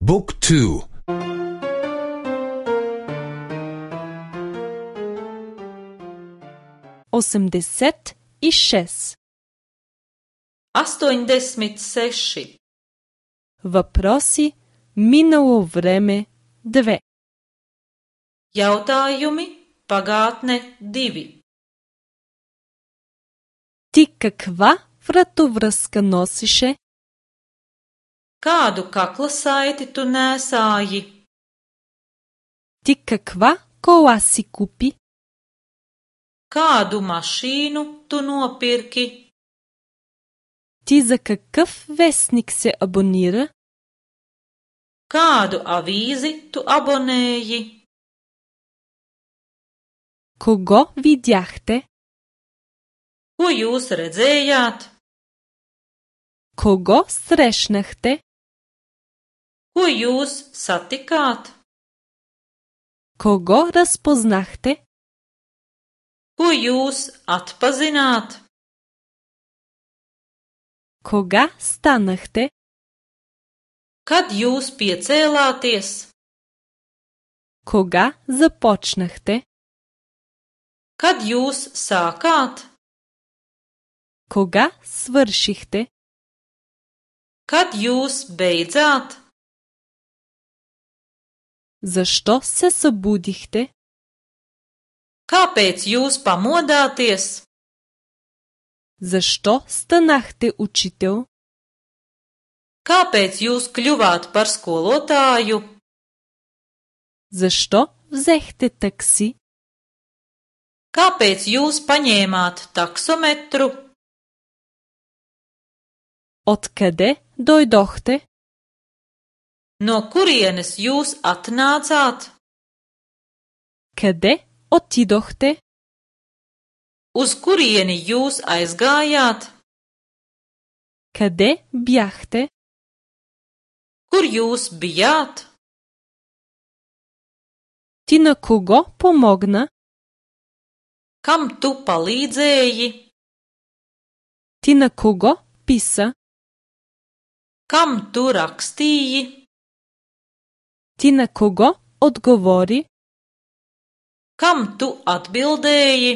บุ๊กทู86. 86. Въпроси минало време 2. Jautājumi pagātne 2. Ти каква вратовръзка носише? Kādu kakla saiti tu nēsāji? Ти каква кола си купи? Kādu mašīnu tu nopirki? Ти за какъв вестник се абонира? Kādu avīzi tu abonēji? Кого видяхте? Ko jūs redzējāt? Кого срещнахте? Ko jūs satikāt? Кого разпознахте? Ko jūs atpazināt? Кога станахте? Kad jūs piecēlāties? Кога започнахте? Kad jūs sākāt? Кога свършихте? Kad jūs beidzāt? Защо се събудихте? Kāpēc jūs pamodāties? Защо станахте учител? Kāpēc jūs kļuvāt par skolotāju? Защо взехте такси? Kāpēc jūs paņēmāt taksometru? Откъде дойдохте? No kurienes jūs atnācāt? Къде отидохте? Uz kurieni jūs aizgājāt? Къде бяхте? Kur jūs bijāt? Ти на кого помогна? Kam tu palīdzēji? Ти на кого писа? Kam tu rakstīji? Ти на кого отговори? Kam tu atbildēji?